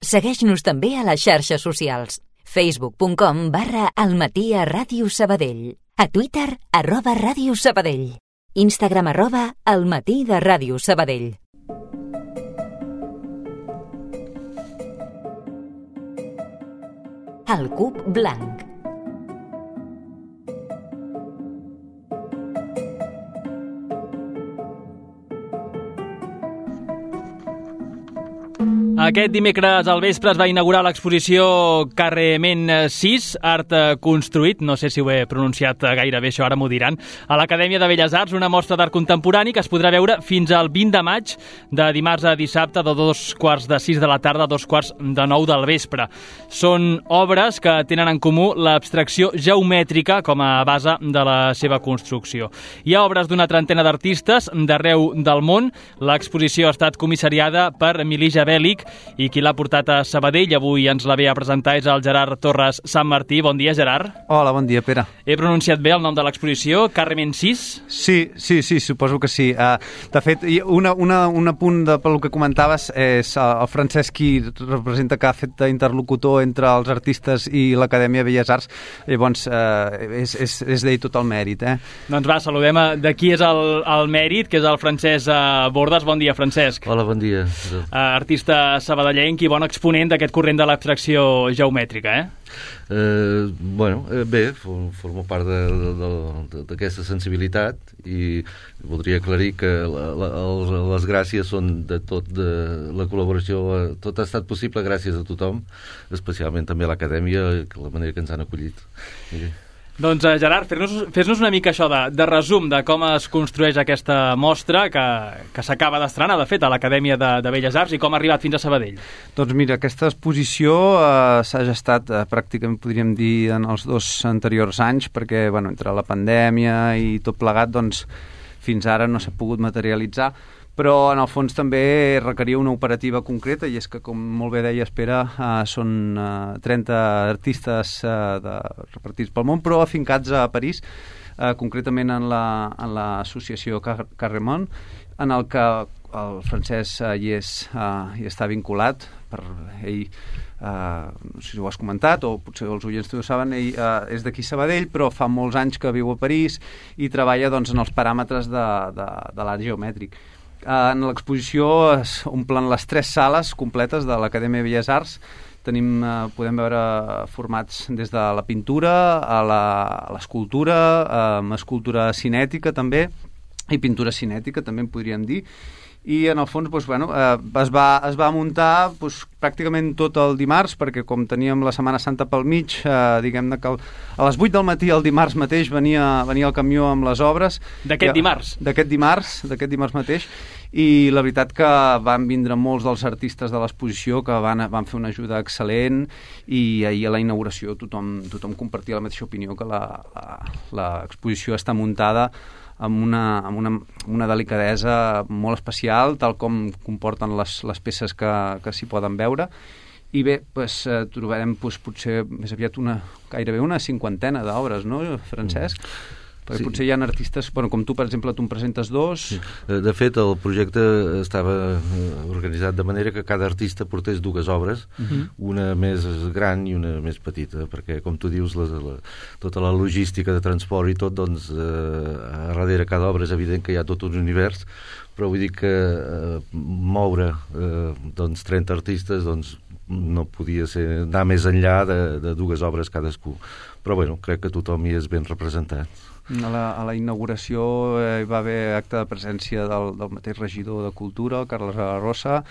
Segueix-nos també a les xarxes socials. facebook.com/almatí@radiosabadell. A Twitter, @radiosabadell. Instagram, @almatí de Ràdio Sabadell. El cub blanc. Aquest dimecres al vespre es va inaugurar l'exposició Carrement 6, Art Construït, no sé si ho he pronunciat gaire bé, això ara m'ho diran, a l'Acadèmia de Belles Arts, una mostra d'art contemporani que es podrà veure fins al 20 de maig, de dimarts a dissabte, de 2:45 de la tarda a 2:45 del vespre. Són obres que tenen en comú l'abstracció geomètrica com a base de la seva construcció. Hi ha obres d'una trentena d'artistes d'arreu del món. L'exposició ha estat comissariada per Milija Bèl·lic i qui l'ha portat a Sabadell, avui ens la ve a presentar, és el Gerard Torres Sant Martí. Bon dia, Gerard. Hola, bon dia, Pere. He pronunciat bé el nom de l'exposició, Carrement 6? Sí, suposo que sí. De fet, un apunt pel que comentaves és el Francesc qui representa, que ha fet d'interlocutor entre els artistes i l'Acadèmia de Belles Arts. Llavors, és d'ell tot el mèrit. Doncs va, saludem de qui és el mèrit, que és el Francesc Bordes. Bon dia, Francesc. Hola, bon dia. Artista sabadellenc i bon exponent d'aquest corrent de l'abstracció geomètrica, bé, formo part d'aquesta sensibilitat i voldria aclarir que les gràcies són de tot, de la col·laboració, tot ha estat possible gràcies a tothom, especialment també a l'Acadèmia, la manera que ens han acollit. Doncs, Gerard, fes-nos una mica això de resum de com es construeix aquesta mostra que s'acaba d'estrenar, de fet, a l'Acadèmia de Belles Arts, i com ha arribat fins a Sabadell. Doncs mira, aquesta exposició s'ha gestat pràcticament, podríem dir, en els 2 anteriors anys, perquè entre la pandèmia i tot plegat, doncs, fins ara no s'ha pogut materialitzar, però en el fons també requeria una operativa concreta, i és que, com molt bé deia Pere, són 30 artistes repartits pel món, però afincats a París, concretament en l'associació Carrement, en el que el Francesc hi està vinculat. Per ell, no sé si ho has comentat o potser els oients ho saben, ell és d'aquí Sabadell, però fa molts anys que viu a París i treballa en els paràmetres de l'art geomètric. En l'exposició es omplen les 3 sales completes de l'Acadèmia de Belles Arts. Podem veure formats des de la pintura a l'escultura, escultura cinètica també, i pintura cinètica també en podríem dir. I en el fons es va muntar pràcticament tot el dimarts, perquè com teníem la Setmana Santa pel mig, diguem-ne que a les 8 del matí el dimarts mateix venia el camió amb les obres. D'aquest dimarts? D'aquest dimarts mateix, i la veritat que van vindre molts dels artistes de l'exposició que van fer una ajuda excel·lent, i ahir a la inauguració tothom compartia la mateixa opinió, que l'exposició està muntada amb una delicadesa molt especial, tal com comporten les peces que s'hi poden veure. I bé, trobarem potser més aviat gairebé una 50ena d'obres, no, Francesc? Perquè sí. Potser hi ha artistes, com tu, per exemple, tu en presentes 2. Sí. De fet, el projecte estava organitzat de manera que cada artista portés 2 obres, una més gran i una més petita, perquè, com tu dius, tota la logística de transport i tot, doncs, a darrere cada obra és evident que hi ha tot un univers, però vull dir que moure 30 artistes, doncs, no podia anar més enllà de 2 obres cadascú. Però, crec que tothom hi és ben representat. A la inauguració hi va haver acte de presència del mateix regidor de Cultura, el Carles Rosa,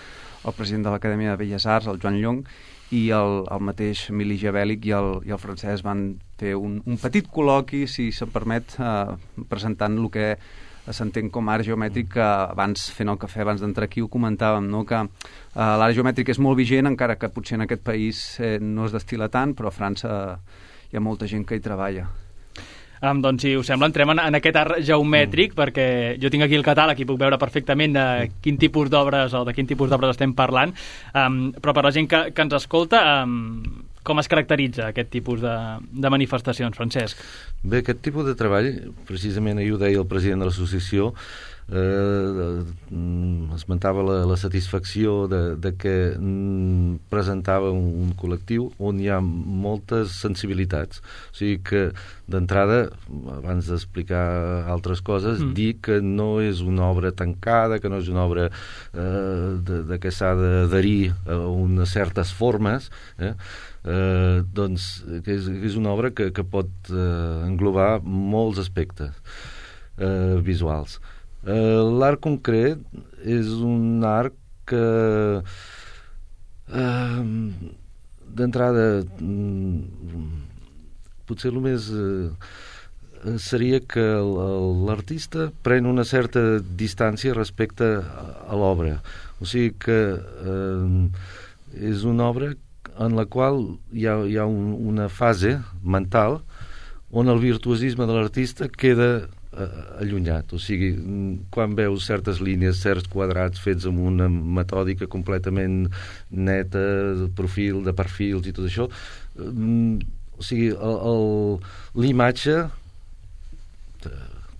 el president de l'Acadèmia de Belles Arts, el Joan Llong, i el mateix Milija Bèl·lic i el Francesc van fer un petit col·loqui, si se'm permet, presentant el que s'entén com a art geomètric, que abans, fent el cafè, abans d'entrar aquí, ho comentàvem, no? Que l'art geomètric és molt vigent, encara que potser en aquest país no es destil·la tant, però a França hi ha molta gent que hi treballa. Doncs, si us sembla, entrem en aquest art geomètric, perquè jo tinc aquí el catàleg i puc veure perfectament de quin tipus d'obres o de quin tipus d'obres estem parlant, però per la gent que ens escolta, com es caracteritza aquest tipus de manifestacions, Francesc? Bé, aquest tipus de treball, precisament ahir ho deia el president de l'associació, esmentava la satisfacció de que presentava un col·lectiu on hi ha moltes sensibilitats. O sigui que, d'entrada, abans d'explicar altres coses, dir que no és una obra tancada, que no és una obra de que s'ha d'adherir a unes certes formes, doncs que és una obra que pot englobar molts aspectes visuals. L'arc concret és un arc que d'entrada potser el més seria que l'artista pren una certa distància respecte a l'obra, o sigui que és una obra en la qual hi ha una fase mental on el virtuosisme de l'artista queda allunyat, o sigui, quan veus certes línies, certs quadrats fets amb una metòdica completament neta, de perfils i tot això, o sigui, l'imatge,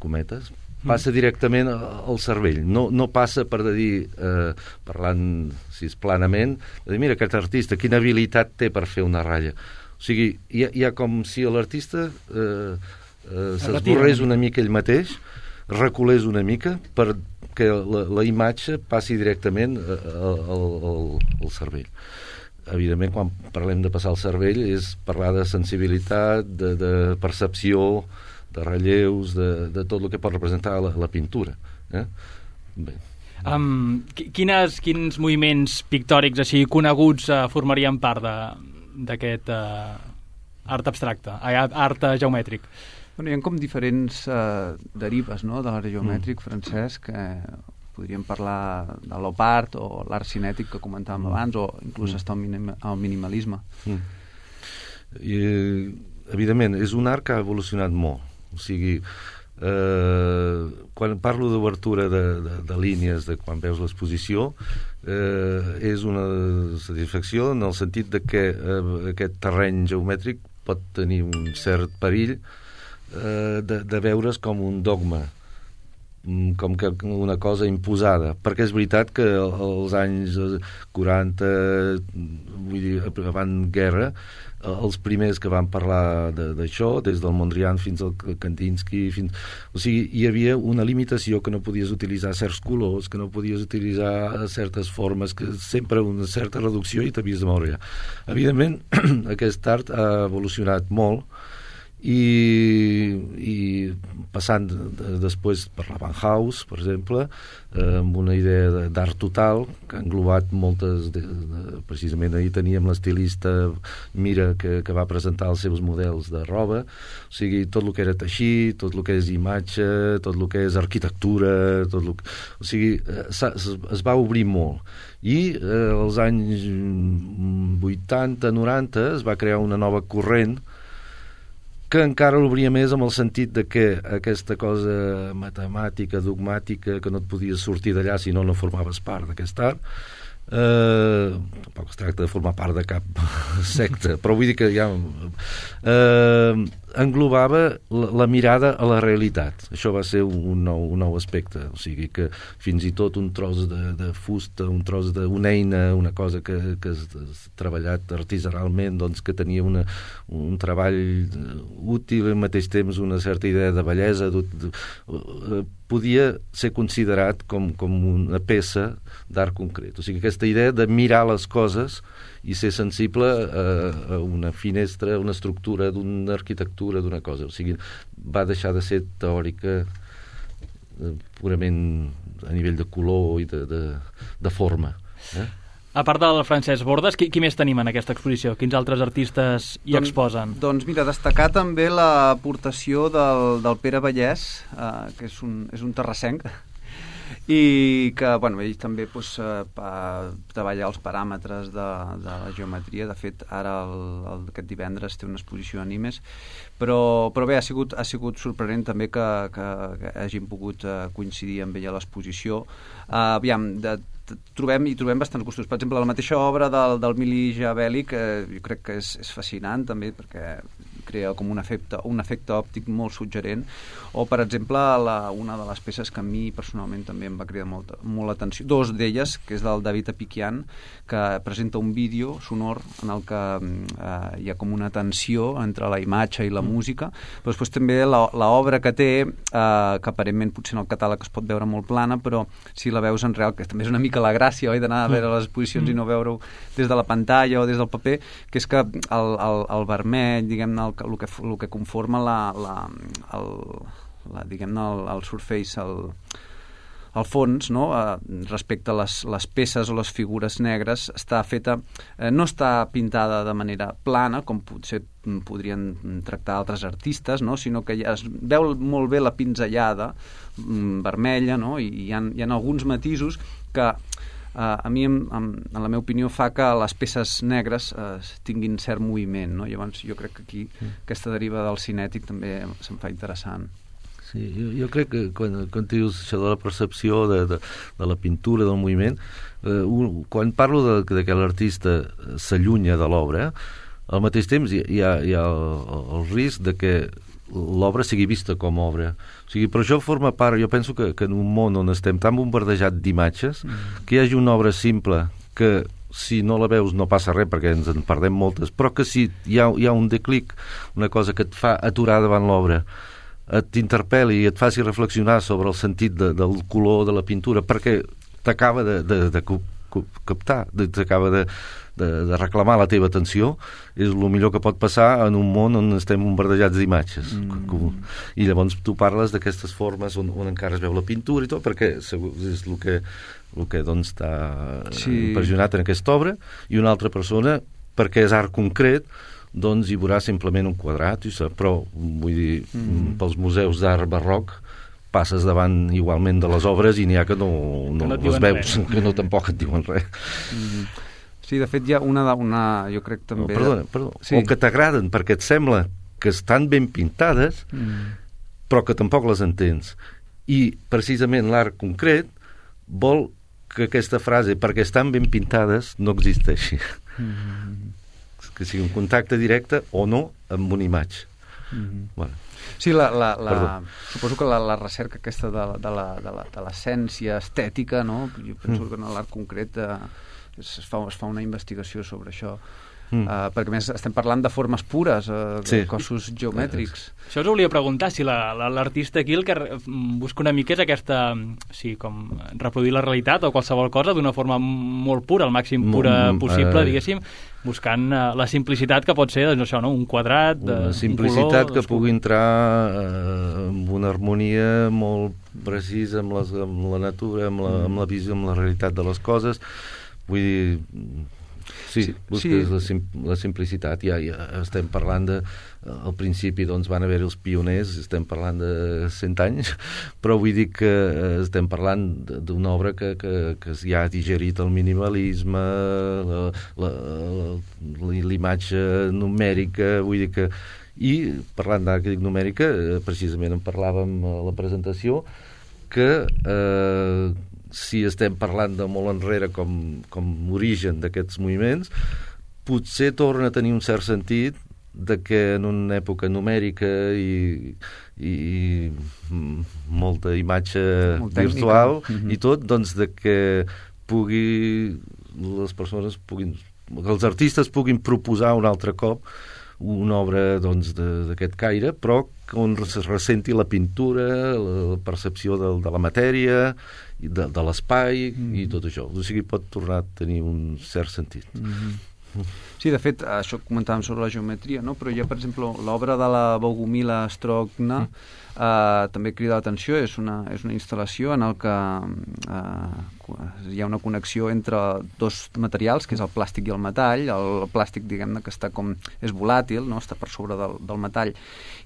cometes, passa directament al cervell, no passa per dir, parlant, si és planament, de dir, mira, aquest artista, quina habilitat té per fer una ratlla. O sigui, hi ha com si l'artista s'esborrés una mica ell mateix, reculés una mica perquè la imatge passi directament al cervell. Evidentment, quan parlem de passar al cervell és parlar de sensibilitat, de percepció, de relleus, de tot el que pot representar la pintura. Bé. Quins moviments pictòrics així coneguts formarien part d'aquest art abstracte, art geomètric? Hi ha com diferents derives, no?, de l'art geomètric francès, que podríem parlar de l'op art o l'art cinètic que comentàvem abans, o inclús està el minimalisme. Evidentment, és un art que ha evolucionat molt. O sigui, quan parlo d'obertura de línies, de quan veus l'exposició, és una satisfacció en el sentit de que aquest terreny geomètric pot tenir un cert perill de veure's com un dogma, com que una cosa imposada, perquè és veritat que als anys 40, vull dir, abans guerra, els primers que van parlar d'això, des del Mondrian fins al Kandinsky, o sigui, hi havia una limitació, que no podies utilitzar certs colors, que no podies utilitzar certes formes, que sempre una certa reducció i t'havies de moure allà. Evidentment, aquest art ha evolucionat molt, i passant després per la Bauhaus, per exemple, amb una idea d'art total que ha englobat moltes precisament ahir teníem l'estilista Mira que va presentar els seus models de roba, o sigui, tot el que era teixir, tot el que és imatge, tot el que és arquitectura, o sigui, es va obrir molt, i als anys 80-90 es va crear una nova corrent que encara l'obria més amb el sentit de que aquesta cosa matemàtica, dogmàtica, que no et podies sortir d'allà si no formaves part d'aquest art, tampoc es tracta de formar part de cap secta, però vull dir que ja englobava la mirada a la realitat. Això va ser un nou aspecte, o sigui que fins i tot un tros de fusta, un tros d'una eina, una cosa que has treballat artesanalment, doncs que tenia un treball útil i al mateix temps una certa idea de bellesa, podia ser considerat com una peça d'art concret. O sigui, aquesta idea de mirar les coses i ser sensible a una finestra, una estructura d'una arquitectura, d'una cosa. O sigui, va deixar de ser teòrica purament a nivell de color i de forma. A part del Francesc Bordes, qui més tenim en aquesta exposició? Quins altres artistes hi exposen? Doncs mira, destacar també l'aportació del Pere Vallès, que és un terrassenc, i que, bueno, ell també treballa els paràmetres de la geometria. De fet, ara aquest divendres té una exposició d'animes, però bé, ha sigut sorprenent també que hagin pogut coincidir amb ell a l'exposició. Aviam, trobem bastants gustos. Per exemple, la mateixa obra del Mili Jabeli, que jo crec que és fascinant també, perquè crea com un efecte òptic molt suggerent, o per exemple una de les peces que a mi personalment també em va cridar molt l'atenció, dos d'elles, que és del David Apiquian, que presenta un vídeo sonor en el que hi ha com una tensió entre la imatge i la música, però després també l'obra que té, que aparentment potser en el catàleg es pot veure molt plana, però si la veus en real, que també és una mica la gràcia, oi, d'anar a veure les exposicions i no veure-ho des de la pantalla o des del paper, que és que el vermell, diguem-ne, el que conforma diguem-ne, el surface, el fons, no? Respecte a les peces o les figures negres, està feta, no està pintada de manera plana, com potser podrien tractar altres artistes, no? Sinó que es veu molt bé la pinzellada vermella, no? I hi ha alguns matisos que a mi, en la meva opinió, fa que les peces negres tinguin cert moviment, no? Llavors jo crec que aquí aquesta deriva del cinètic també se'm fa interessant. Sí, jo crec que quan dius això de la percepció de la pintura, del moviment, quan parlo de que l'artista s'allunya de l'obra, al mateix temps hi ha el risc de que l'obra sigui vista com a obra. O sigui, però això forma part, jo penso que en un món on estem tan bombardejat d'imatges, que hi hagi una obra simple que si no la veus no passa res perquè ens en perdem moltes, però que si hi ha un declic, una cosa que et fa aturar davant l'obra, t'interpel·li i et faci reflexionar sobre el sentit del color de la pintura, perquè t'acaba de captar, t'acaba de reclamar la teva atenció, és el millor que pot passar en un món on estem bombardejats d'imatges. I llavors tu parles d'aquestes formes on encara es veu la pintura i tot, perquè és el que doncs està impressionat en aquesta obra, i una altra persona, perquè és art concret, doncs hi veurà simplement un quadrat, però vull dir, pels museus d'art barroc passes davant igualment de les obres i n'hi ha que no les veus, que no tampoc et diuen res. Sí, de fet hi ha jo crec també... Perdona. Sí. O que t'agraden perquè et sembla que estan ben pintades, però que tampoc les entens. I precisament l'art concret vol que aquesta frase, perquè estan ben pintades, no existeixi. Que sigui un contacte directe o no amb una imatge. Bueno. Sí, suposo que la recerca aquesta de l'essència estètica, no? Jo penso que en l'art concret es fa una investigació sobre això, perquè a més estem parlant de formes pures, de cossos geomètrics. Això us volia preguntar, si l'artista aquí el que busca una mica és aquesta, com reproduir la realitat o qualsevol cosa d'una forma molt pura, el màxim pura possible, diguéssim, buscant la simplicitat que pot ser, doncs això, no? Un quadrat, una simplicitat un color, que pugui entrar amb una harmonia molt precisa amb la natura, amb la visió, amb la realitat de les coses. Vull dir, busques la simplicitat. Ja estem parlant al principi doncs van haver els pioners, estem parlant de 100 anys, però vull dir que estem parlant d'una obra que ja ha digerit el minimalisme, l'imatge numèrica, vull dir que... I parlant d'art numèrica, precisament en parlàvem a la presentació, que si estem parlant de molt enrere com origen d'aquests moviments, potser torna a tenir un cert sentit de que en una època numèrica i molta imatge virtual i tot, doncs de que les persones puguin, que els artistes puguin proposar un altre cop una obra doncs, d'aquest caire, però on es ressenti la pintura, la percepció de la matèria, de l'espai i tot això. O sigui, pot tornar a tenir un cert sentit. Sí, de fet, això comentàvem sobre la geometria, no? Però hi ha, per exemple, l'obra de la Bogumila Strogna, també crida l'atenció, és una instal·lació en el que hi ha una connexió entre dos materials, que és el plàstic i el metall. El plàstic, diguem-ne, que està és volàtil, no? Està per sobre del metall,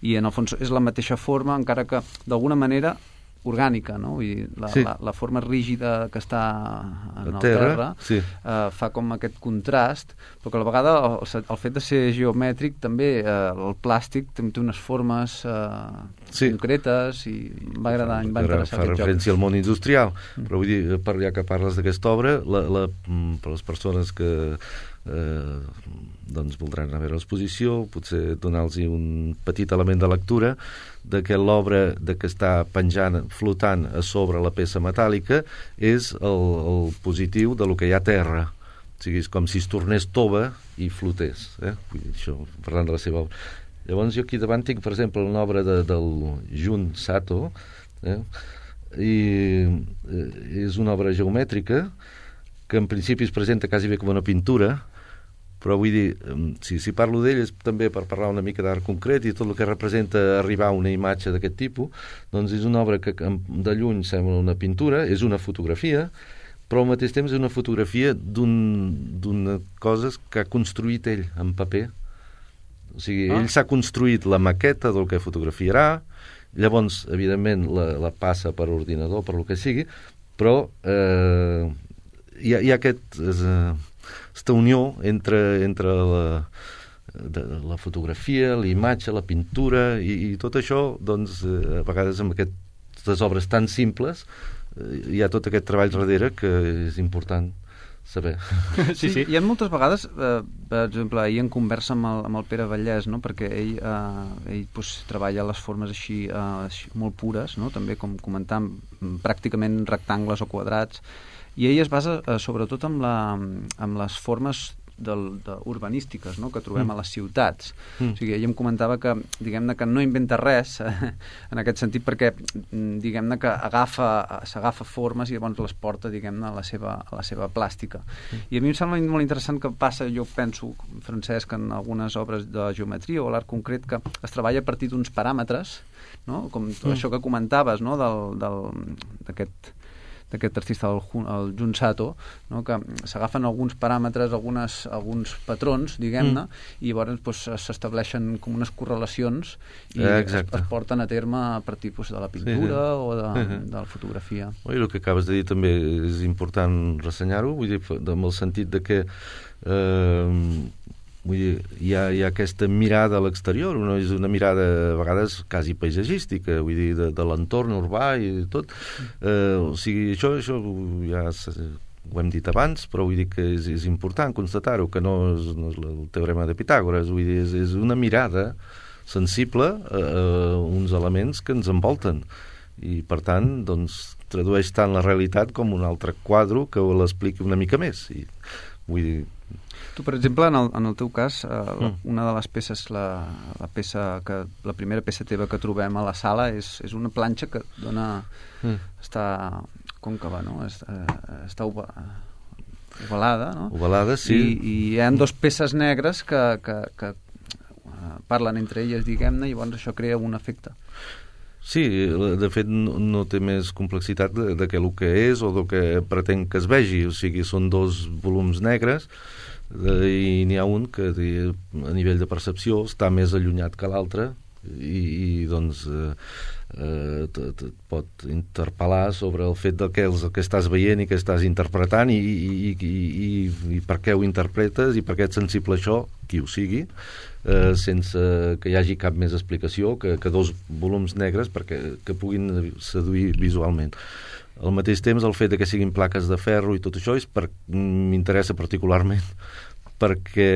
i en el fons és la mateixa forma, encara que d'alguna manera orgànica, no? Vull dir, la forma rígida que està en el terra fa com aquest contrast, però que a la vegada el fet de ser geomètric també, el plàstic té unes formes concretes i em va agradar, em va interessar aquest joc. Fa referència al món industrial, però vull dir, ja que parles d'aquesta obra, per les persones que doncs voldran anar a veure l'exposició, potser donar-los un petit element de lectura de que l'obra de que està penjant, flotant a sobre la peça metàl·lica és el positiu de lo que hi ha a terra. O sigui, és com si es tornés tova i flotés. Vull dir, això, parlant de la seva obra. Llavors jo aquí davant tinc, per exemple, una obra del Jun Sato, i és una obra geomètrica que en principi es presenta quasi bé com una pintura, però vull dir, si parlo d'ell és també per parlar una mica d'art concret i tot el que representa arribar a una imatge d'aquest tipus, doncs és una obra que de lluny sembla una pintura, és una fotografia, però al mateix temps és una fotografia d'una cosa que ha construït ell en paper. O sigui, ell s'ha construït la maqueta del que fotografiarà, llavors, evidentment, la passa per ordinador, per lo que sigui, però hi ha aquesta unió entre la fotografia, la imatge, la pintura i tot això, doncs, a vegades amb aquestes obres tan simples hi ha tot aquest treball darrere que és important saber. Sí. Hi ha moltes vegades, per exemple, ahir en conversa amb el Pere Vallès, no? Perquè ell treballa les formes així molt pures, no? També com comentam, pràcticament rectangles o quadrats, i ell es basa sobretot amb les formes urbanístiques, no? Que trobem a les ciutats. O sigui, ell em comentava que, diguem-ne, que no inventa res en aquest sentit, perquè diguem-ne que s'agafa formes i llavors les porta, diguem-ne, a la seva plàstica. I a mi em sembla molt interessant que passa, jo penso, Francesc, en algunes obres de geometria o l'art concret, que es treballa a partir d'uns paràmetres, no? Com tot això que comentaves, no? D'aquest artista, el Jun Sato, no? Que s'agafen alguns paràmetres, alguns patrons, diguem-ne, i llavors s'estableixen com unes correlacions i es porten a terme a partir de la pintura o de la fotografia. I el que acabes de dir també és important ressenyar-ho, vull dir, amb el sentit de que vull dir, hi ha aquesta mirada a l'exterior, és una mirada a vegades quasi paisatgística, vull dir, de l'entorn urbà i tot. O sigui, això ja ho hem dit abans, però vull dir que és important constatar-ho, que no és el teorema de Pitàgores, vull dir, és una mirada sensible a uns elements que ens envolten. I, per tant, doncs, tradueix tant la realitat com un altre quadre que l'expliqui una mica més. I, vull dir, tu, per exemple, en el teu cas, una de les peces, la primera peça teva que trobem a la sala és una planxa que dona... està còncava, no? Està ovalada, no? Ovalada, sí. I hi ha dues peces negres que parlen entre elles, diguem-ne, i llavors això crea un efecte. Sí, de fet no té més complexitat de que el que és o del que pretén que es vegi, o sigui, són dos volums negres i n'hi ha un que a nivell de percepció està més allunyat que l'altre i doncs et pot interpel·lar sobre el fet del que estàs veient i que estàs interpretant i per què ho interpretes i per què ets sensible a això, qui ho sigui, sense que hi hagi cap més explicació que dos volums negres que puguin seduir visualment. Al mateix temps, el fet de que siguin plaques de ferro i tot això m'interessa particularment perquè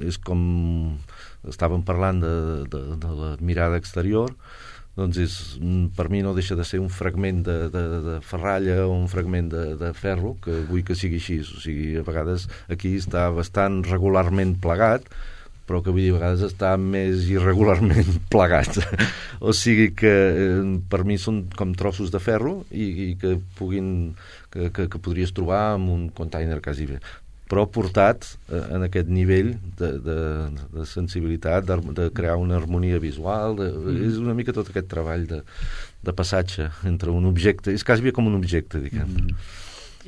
és com estàvem parlant de la mirada exterior, doncs per mi no deixa de ser un fragment de ferralla o un fragment de ferro que vull que sigui així. O sigui, a vegades aquí està bastant regularment plegat, però que vull dir, a vegades està més irregularment plegats. O sigui que per mi són com trossos de ferro i que podries trobar en un container quasi bé, però portat en aquest nivell de sensibilitat, de crear una harmonia visual, és una mica tot aquest treball de passatge entre un objecte, és quasi bé com un objecte, diguem.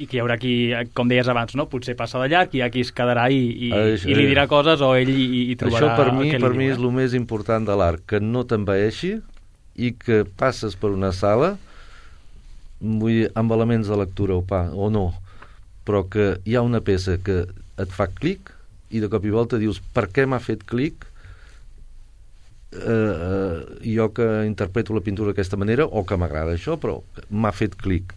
I que hi haurà qui, com deies abans, no? Potser passa de llarg, hi ha qui es quedarà i li dirà coses o ell hi trobarà... Això per mi és el més important de l'art, que no t'envaeixi i que passes per una sala amb elements de lectura o no, però que hi ha una peça que et fa clic i de cop i volta dius per què m'ha fet clic jo que interpreto la pintura d'aquesta manera o que m'agrada això, però m'ha fet clic.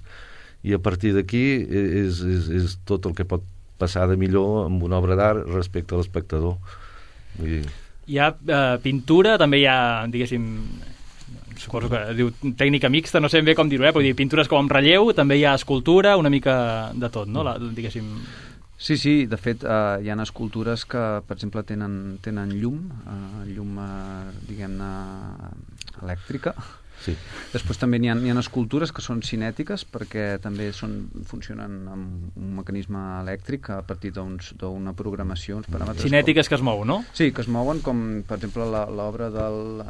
I a partir d'aquí és tot el que pot passada millor amb una obra d'art respecte a l'espectador. Vull dir... Hi ha pintura, també hi ha, diguéssim, suposo que diu tècnica mixta, no sé ben bé com dir-ho, però pintures com en relleu, també hi ha escultura, una mica de tot, no? Diguéssim... Sí, de fet, hi ha escultures que, per exemple, tenen llum, diguem-ne, elèctrica. Sí. Després també hi ha escultures que són cinètiques, perquè també funcionen amb un mecanisme elèctric a partir d'una programació, uns paràmetres... Cinètiques que es mouen, no? Sí, que es mouen, com, per exemple, l'obra del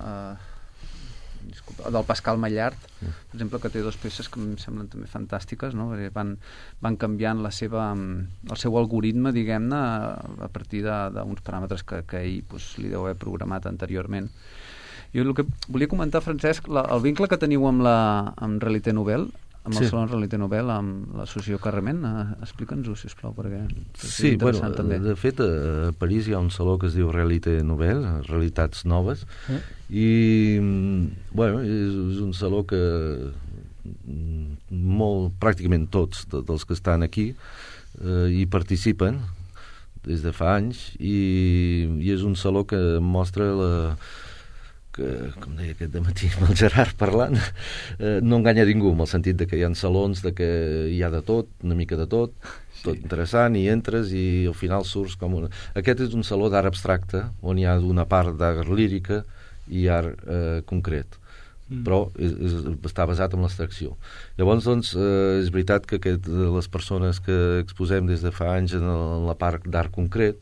Pascal Mallart, per exemple, que té dues peces que em semblen també fantàstiques, no? Perquè van canviant el seu algoritme, diguem-ne, a partir d'uns paràmetres que ell li deu haver programat anteriorment. Jo el que volia comentar, Francesc, el vincle que teniu amb Realité Nouvelle, amb el Saló Realité Nouvelle, amb l'associació Carrement, explica'ns-ho, sisplau, perquè és interessant també. De fet, a París hi ha un saló que es diu Realité Nouvelle, Realitats Noves, i és un saló que pràcticament tots dels que estan aquí hi participen des de fa anys, i és un saló que mostra que, com deia aquest dematí amb el Gerard parlant, no enganya ningú, en el sentit de que hi ha salons de que hi ha de tot, una mica de tot, tot interessant, i entres i al final surts com una... Aquest és un saló d'art abstracte, on hi ha una part d'art lírica i art concret, però està basat en l'abstracció. Llavors, doncs, és veritat que les persones que exposem des de fa anys en la part d'art concret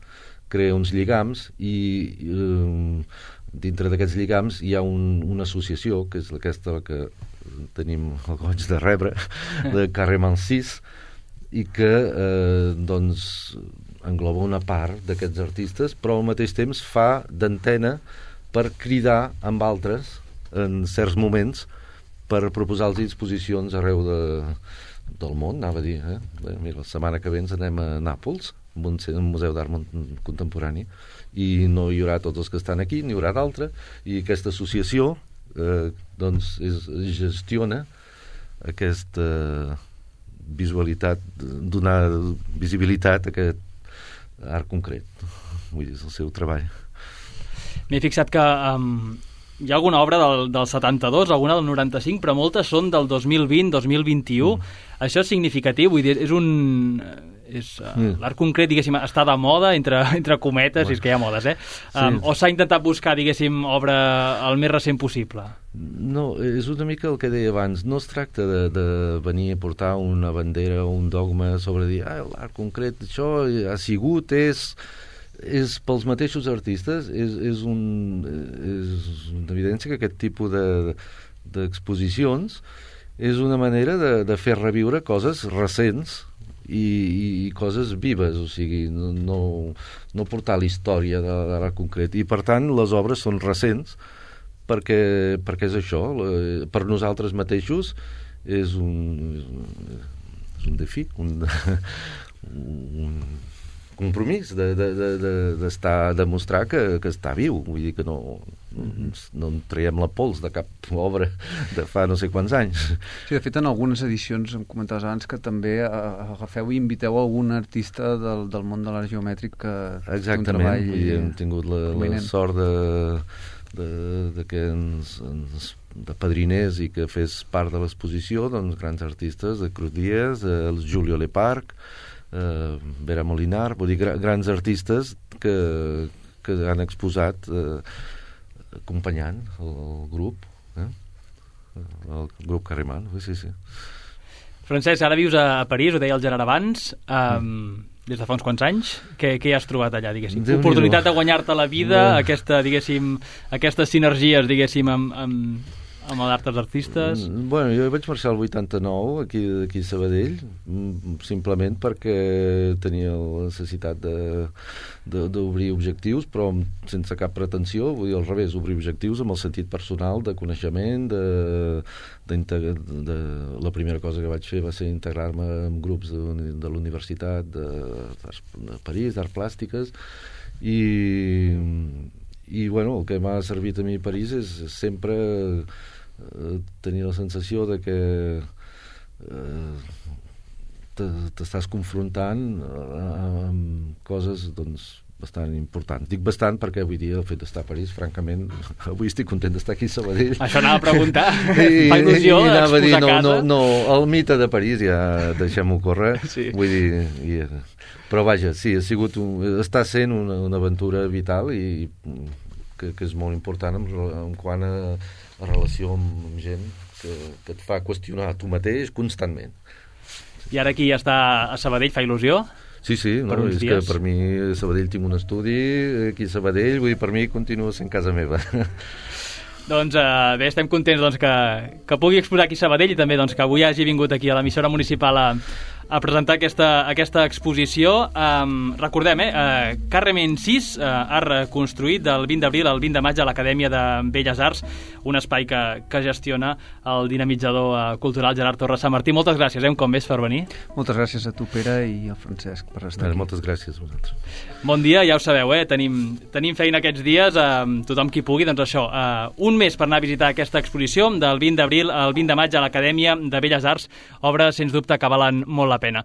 crea uns lligams, i dintre d'aquests lligams hi ha una associació, que és aquesta que tenim el goig de rebre, de Carrement 6, i que doncs engloba una part d'aquests artistes, però al mateix temps fa d'antena per cridar amb altres en certs moments per proposar-los exposicions arreu del món, anava a dir. Mira, la setmana que ve ens anem a Nàpols, un museu d'art contemporani, i no hi haurà tots els que estan aquí, n'hi haurà d'altres, i aquesta associació doncs gestiona aquesta visualitat, donar visibilitat a aquest art concret. Vull dir, és el seu treball. M'he fixat que hi ha alguna obra del 72, alguna del 95, però moltes són del 2020, 2021. Això és significatiu, vull dir, l'art concret, diguéssim, està de moda, entre cometes, i és que hi ha modes, o s'ha intentat buscar, diguéssim, obra el més recent possible? No, és una mica el que deia abans. No es tracta de venir a portar una bandera o un dogma sobre dir, l'art concret, això ha sigut, és pels mateixos artistes, és una evidència que aquest tipus d'exposicions és una manera de fer reviure coses recents i coses vives, o sigui, no portar la història de l'art concret, i per tant les obres són recents perquè és això, per nosaltres mateixos és un defi, un compromís de demostrar que està viu, vull dir que no en traiem la pols de cap obra de fa no sé quants anys. Sí, de fet, en algunes edicions em comentaves abans que també agafeu i inviteu algun artista del món de l'art geomètric que té un treball... Exactament, hem tingut la sort que de padriners i que fes part de l'exposició, doncs, grans artistes, de Cruz Díaz, el Julio Leparc, Vera Molinar, vull dir, grans artistes que han exposat acompanyant el grup, el grup Carrement, sí. Francesc, ara vius a París, ho deia el Gerard abans, des de fa uns quants anys. Què hi has trobat allà, diguéssim? Oportunitat de guanyar-te la vida, aquestes sinergies, diguéssim, amb d'altres artistes? Bueno, jo vaig marxar el 89 aquí a Sabadell, simplement perquè tenia la necessitat d'obrir objectius, però sense cap pretensió, vull dir, al revés, obrir objectius amb el sentit personal de coneixement, la primera cosa que vaig fer va ser integrar-me en grups de la Universitat de París, d'Arts Plàstiques, i bueno, el que m'ha servit a mi a París és sempre tenir la sensació de que t'estàs confrontant amb coses, doncs, bastant importants. Dic bastant perquè avui dia el fet d'estar a París, francament, avui estic content d'estar aquí a Sabadell. Això anava a preguntar. Fa il·lusió exposar casa. No, el mite de París ja deixem-ho córrer. Sí. Vull dir... Però vaja, sí, està sent una aventura vital i que és molt important en quant a relació amb gent que et fa qüestionar tu mateix constantment. I ara aquí està a Sabadell, fa il·lusió? Sí, és que per mi a Sabadell tinc un estudi, aquí a Sabadell, vull dir, per mi continua sent casa meva. Doncs bé, estem contents que pugui exposar aquí a Sabadell i també que avui hagi vingut aquí a l'emissora municipal a presentar aquesta exposició. Recordem, Carremen 6, art reconstruït del 20 d'abril al 20 de maig a l'Acadèmia de Belles Arts, un espai que gestiona el dinamitzador cultural Gerard Torres Sant Martí. Moltes gràcies, un cop més, per venir. Moltes gràcies a tu, Pere, i al Francesc per estar aquí. Moltes gràcies a vosaltres. Bon dia, ja ho sabeu, tenim feina aquests dies, tothom qui pugui, doncs això, un mes per anar a visitar aquesta exposició del 20 d'abril al 20 de maig a l'Acadèmia de Belles Arts, obres, sens dubte, que valen molt la pena.